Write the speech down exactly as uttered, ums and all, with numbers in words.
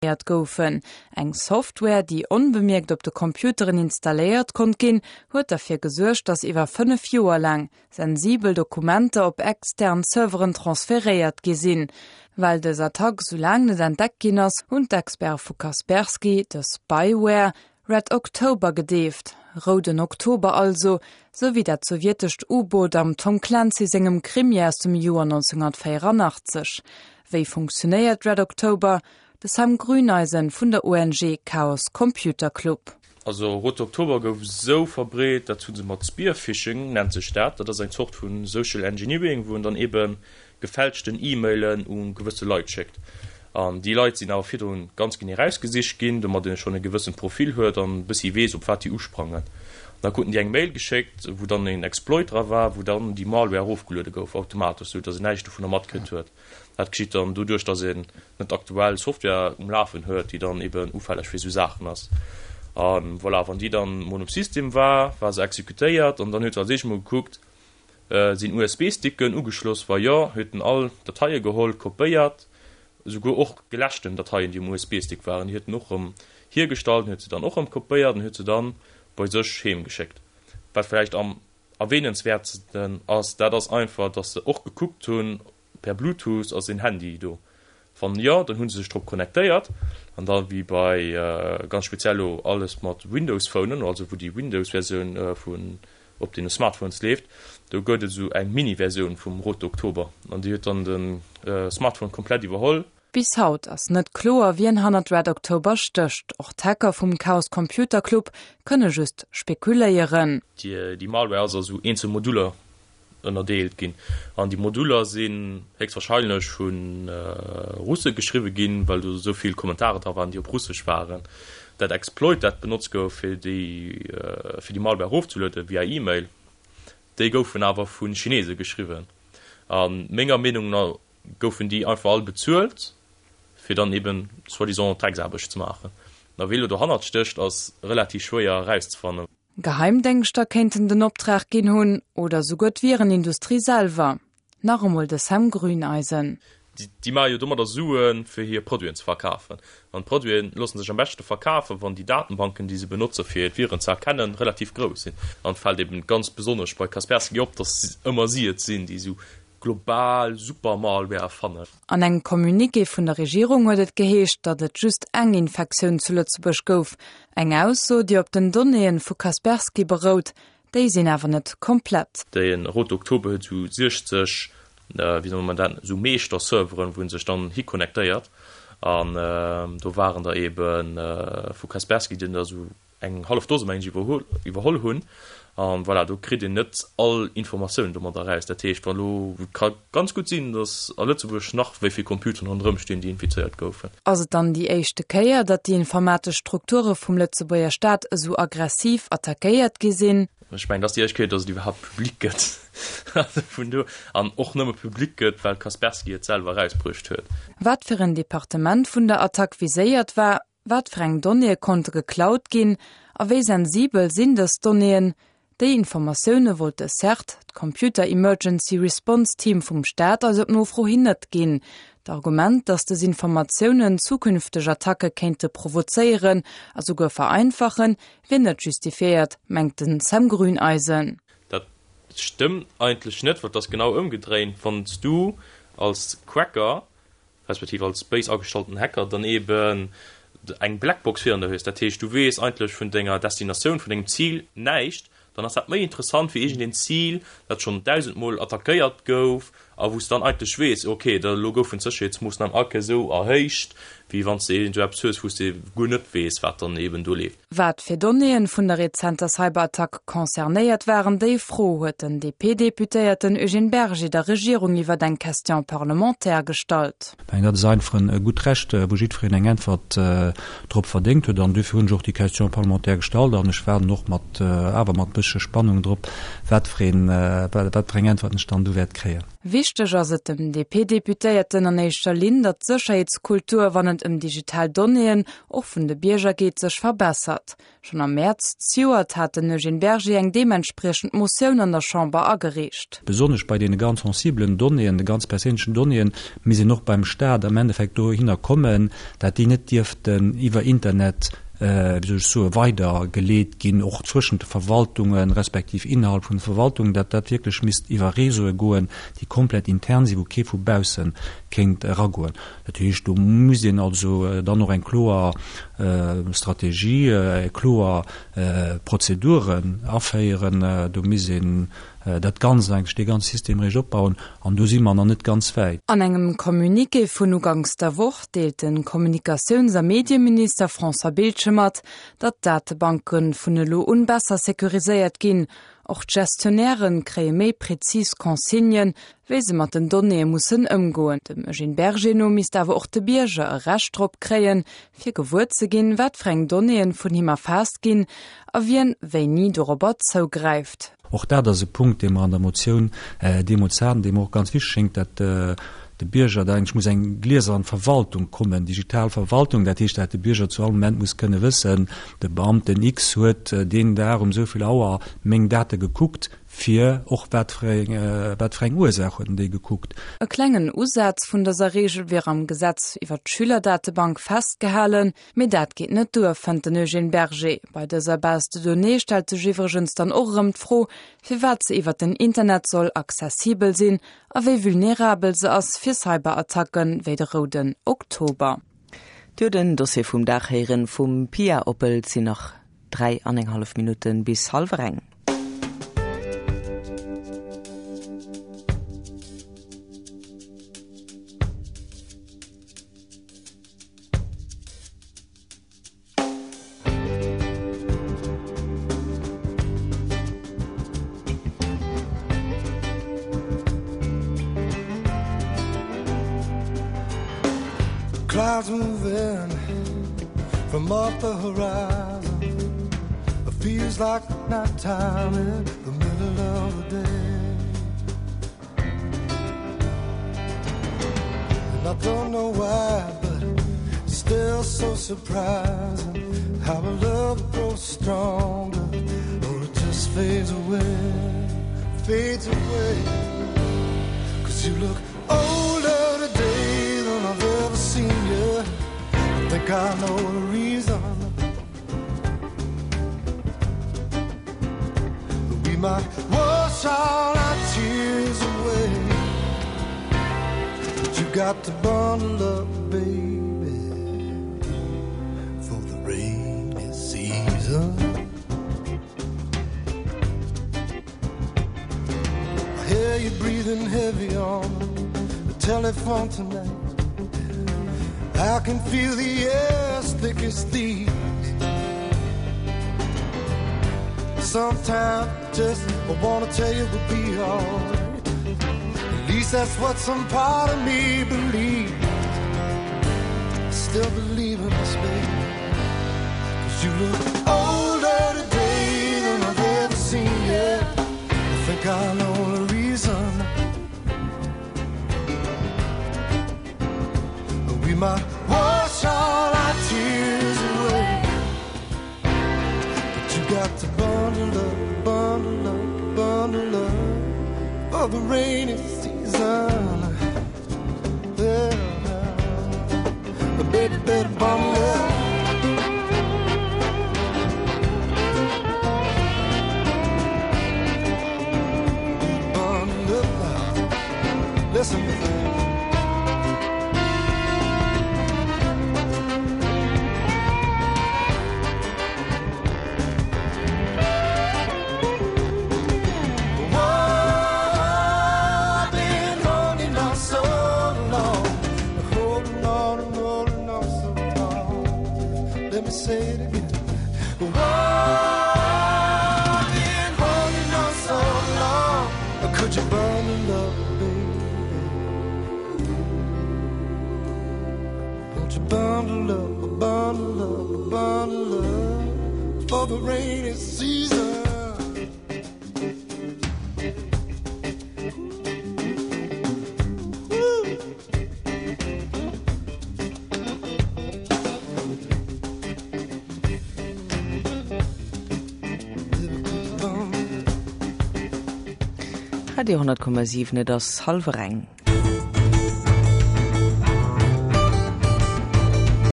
Goufen. Eng Software, déi onbemierkt op de Computeren installéiert konnt ginn, huet derfir gesuergt, datt iwwer fënnef Joer laang sensibel Dokumenter op extern Serveren transferéiert gi sinn. Well dës Attack sou laang net entdeckt ginn ass, hunn d'Experte vu Kaspersky de Spyware Red October gedeeft. Rouden Oktober also, sou wéi dat sowjetescht U-Boot am Tom Clancy sengem Krimi aus dem Joer nonzénghunnertvéieranachtzeg. Wéi funktionéiert Red October? De Sam Grüneisen vun der O N G Chaos Computer Club. Also Rote Oktober gouf esou verbreet, dat hu se mat Spear-Phishing nennt sech dat, dat ass eng Zort vu Social Engineering, wou en dann ebe gefälschten E-Mailen u gewësse Leit schéckt. An déi Leit sinn awer virdrun ganz genee erausgesicht ginn, domat een schonn e gewëssent Profil huet an e bëssi weess, op wat déi usprangen. Da kruten déi eng Mail geschéckt, wou dann een Exploit dra war, wou dann déi Malware erofgeluede gouf automatesch, sou datt een näischt dovunner matkritt huet. Dat geschitt dann doduerch, datt een net aktuell Software um Lafen huet, déi dann eben ufälleg fir esou Saachen ass. A voilà, wann déi dann mol um System war, war se exekutéiert an dann huet se als éischt mol gekuckt, sinn U S B-Sticken ugeschloss? Wa jo, huet en all Dateie geholl, kopéiert, esouguer och geläschten Dateien, déi um U S B-Stick waren, déi huet en och erëm hiergestallt, huet se dann och erëm kopéiert an huet se dann bei sech heem geschéckt. Wat vläicht am erwähnenswäertsten ass, dat ass einfach, datt se och gekuckt hunn, per Bluetooth, ass een Handy do? Wann jo, dann hu se sech drop connectéiert an da wéi bei ganz speziell elo alles mat Windows Phonen, also wou déi Windows Versioun vun op deene Smartphones leeft, do gëtt et esou eng Mini-Versioun vum Rote Oktober an déi huet dann de Smartphone komplett iwwerholl. Bis haut ass net kloer, wien hannert Red October stécht. Och d'Hacker vum Chaos Computer Club kënne just spekuléieren. Déi Malware ass a sou eenzel Moduler ënnerdeelt ginn. An déi Moduler sinn héchstwahrscheinlech vu Russe geschriwwe ginn, well do esou vill Kommentare dra waren, déi op Russesch waren. Dat Exploit, dat benotzt gouf, fir déi fir déi Malware erofzelueden via E-Mail, déi goufen awer vu Chinese geschriwwen. A menger Meenung no goufen déi einfach all bezuelt, fir dann eben soi-disant Drecksaarbecht ze maachen. A wee elo dohannert stécht, ass relativ schwéier erauszefannen. Geheimdéngschter kéinten den Optrag ginn hunn oder souguer d'Virenindustrie selwer. Nach emol de Sam Grüneisen. Déi maache jo domadder Suen, fir hir Produiten ze verkafen. An d'Produite loosse sech am beschte verkafen, wann déi Datenbanken, déi se benotze fir d'Viren ze erkennen, relativ grouss sinn. An et fält eben ganz besonnesch bei Kaspersky op, datt ëmmer si et sinn, déi esou global Super-Malware erfannen. An engem Communiqué vun der Regierung huet et geheescht, datt et just eng Infektioun zu Lëtzebuerg gouf. Eng Ausso, déi op den Donnéeë vu Kaspersky berout, déi sinn awer net komplett. De Rote Oktober huet esou siechzeg, wéi soll man dat, esou Meeschter-Serveren, wou en sech dann hiconnectéiert. An do waren der ebe vu Kaspersky, déi der esou eng hallef Dose mengen ech iwwerholl hunn. An voilà, do kritt een net all Informatiounen domadder eraus. Dat heescht, wann elo, et ka ganz gutt sinn, datt a Lëtzebuerg nach wéi vill Computeren ronderëm stinn, déi infizéiert goufen. Ass et dann déi éischte Kéier, datt déi informatesch Strukture vum Lëtzebuerger Staat esou aggressiv attackéiert gi sinn? Ech mengen, et ass déi éischt Kéier, datt et iwwerhaapt public gëtt. Also vun do an och nëmme public gëtt, well Kaspersky et selwer erausbruecht huet. Wat fir en Departement vun der Attack viséiert war, wat fir eng Donnéeë konnte geklaut ginn a wéi sensibel sinn dës Donnéeën, déi Informatioune wollt de CERT, d'Computer Emergency Response Team vum Staat, eis op Nofro hin net ginn. D'Argument, datt dës Informatiounen zukünfteg Attacke kéinte provozéieren a souguer vereinfachen, wier net justifiéiert, mengt de Sam Grüneisen. Dat stëmmt eigentlech net, well et ass genau ëmgedréint, Wann s du als Cracker, respektiv als béis agestallten Hacker dann eben eng Blackbox virun der hues, dat heescht du weess eigentlech vun denger Destinatioun, vun dengem Zil näischt, dann ass dat méi interessant wéi iergendeen Zil, dat schonn dausendmol attackéiert gouf a wou s de dann eigentlech weess, ok, da elo goufen d'Sécherheetsmoossnamen all Kéier esou erhéicht, wéi wann s de iergendwou eppes hues, wou s de guer net weess, wat dann eben do leeft. Wat fir Donnéeën vun der rezenter Cyberattack concernéiert waren, déi Fro huet den D P-Deputéierten Eugène Berger der Regierung iwwer eng Question parlementaire gestallt. Ech mengen, dat ass einfach e gutt Recht, wou jiddwereen eng Äntwert drop verdéngt huet. An duerfir hunn ech och déi Question parlementaire gestallt an ech waarden och mat, awer mat bëssche Spannung drop, wat fir een, wat fir eng Äntwert ech dann do wäert kréien. Wichteg ass et dem D P-Deputéierten an éischter Linn, datt d'Sécherheetskultur, wann et ëm digital Donnéeën och vun de Bierger geet, sech verbessert. Schonn am Mäerz zejoert hat den Eugène Berger eng deementspriechend Motioun an der Chamber agereecht. Besonnesch bei deene ganz sensibelen Donnéeën, de ganz perséinlechen Donnéeën, misst een och beim Staat am Endeffekt dohinner kommen, dat déi net dierften iwwer Internet, wéi soll ech soen, weidergeleet ginn, och zwëschent de Verwaltungen, respektiv innerhalb vun de Verwaltungen, dat dat wierklech misst iwwer Réseaue goen, déi komplett intern sinn, wou kee vu bausse kéint eragoen. Dat heescht, do muss een also dann och eng kloer Strategie, kloer Prozeduren aféieren, do misst een dat Ganzt eigentlech, dee ganze System eréischt opbauen, an do si mer nach net ganz wäit. An engem Communiqué vun uganks der Woch deelt de Kommunikatiouns a Medieminister François Biltgen mat, datt d'Datebanke vun elo un besser securiséiert ginn. Och d'Gestionnairen kréie méi prezis Consignen, wéi se mat den Donnéeë mussen ëmgoen. Dem Eugène Berger no misst awer och de Bierger e Recht drop kréien, fir gewuer ze ginn, wat fir eng Donnéeën vun him erfaasst ginn a wien wéini dorobber zougräift. Och dat ass e Punkt, dee mer an der Motioun deemools haten, dee mer och ganz wichteg schéngt, dat de Bierger da eigentlech muss eng gliesern Verwaltung kommen, digital Verwaltung, dat heescht, dat de Bierger zu all Moment muss kënne wëssen, de Beamten X huet deen Dag um esou vill Auer meng Date gekuckt, fir och wat fir eng, wat fir eng Ursaach huet en déi gekuckt. E klengen Usaz vun dëser Reegel wier am Gesetz iwwer d'Schülerdatebank festgehalen, mee dat geet net duer, fënnt den Eugène Berger. Bei dëser Base de données stellt sech iwwregens dann och erëm d'Fro, firwat se iwwer den Internet soll accessibel sinn a wéi vulnerabel se ass fir Cyberattacken wéi de Rouden Oktober. Dir den Dossier vum Dag héieren vum Pia Oppel. Et sinn nach dräi an eng hallef Minutten bis hallwer eng. Clouds moving from off the horizon. It feels like nighttime in the middle of the day. And I don't know why, but it's still so surprising how a love grows stronger or it just fades away, fades away. 'Cause you look older today than I've ever seen you. I think I know the reason. We might wash all our tears away, but you got to bundle up, baby, for the rainy season. I hear you breathing heavy on the telephone tonight. I can feel the air thick as thieves. Sometimes just I wanna tell you we'll be alright. At least that's what some part of me believes. I still believe in us, baby. 'Cause you look older today than I've ever seen you. I think I know the reason. We might wash all our tears away, but you got to bundle up, bundle up, bundle up for the rainy season. Yeah, but baby, better bundle up. Bundle up now. Listen. I've been holding on so long, holding on and holding on so long. Let me say it again. Whoa, I've been holding on so long. Could you bundle up, baby? Won't you bundle up, bundle up, bundle up for the rainy season? Radio hundert Komma siwen, et ass hallwer eng.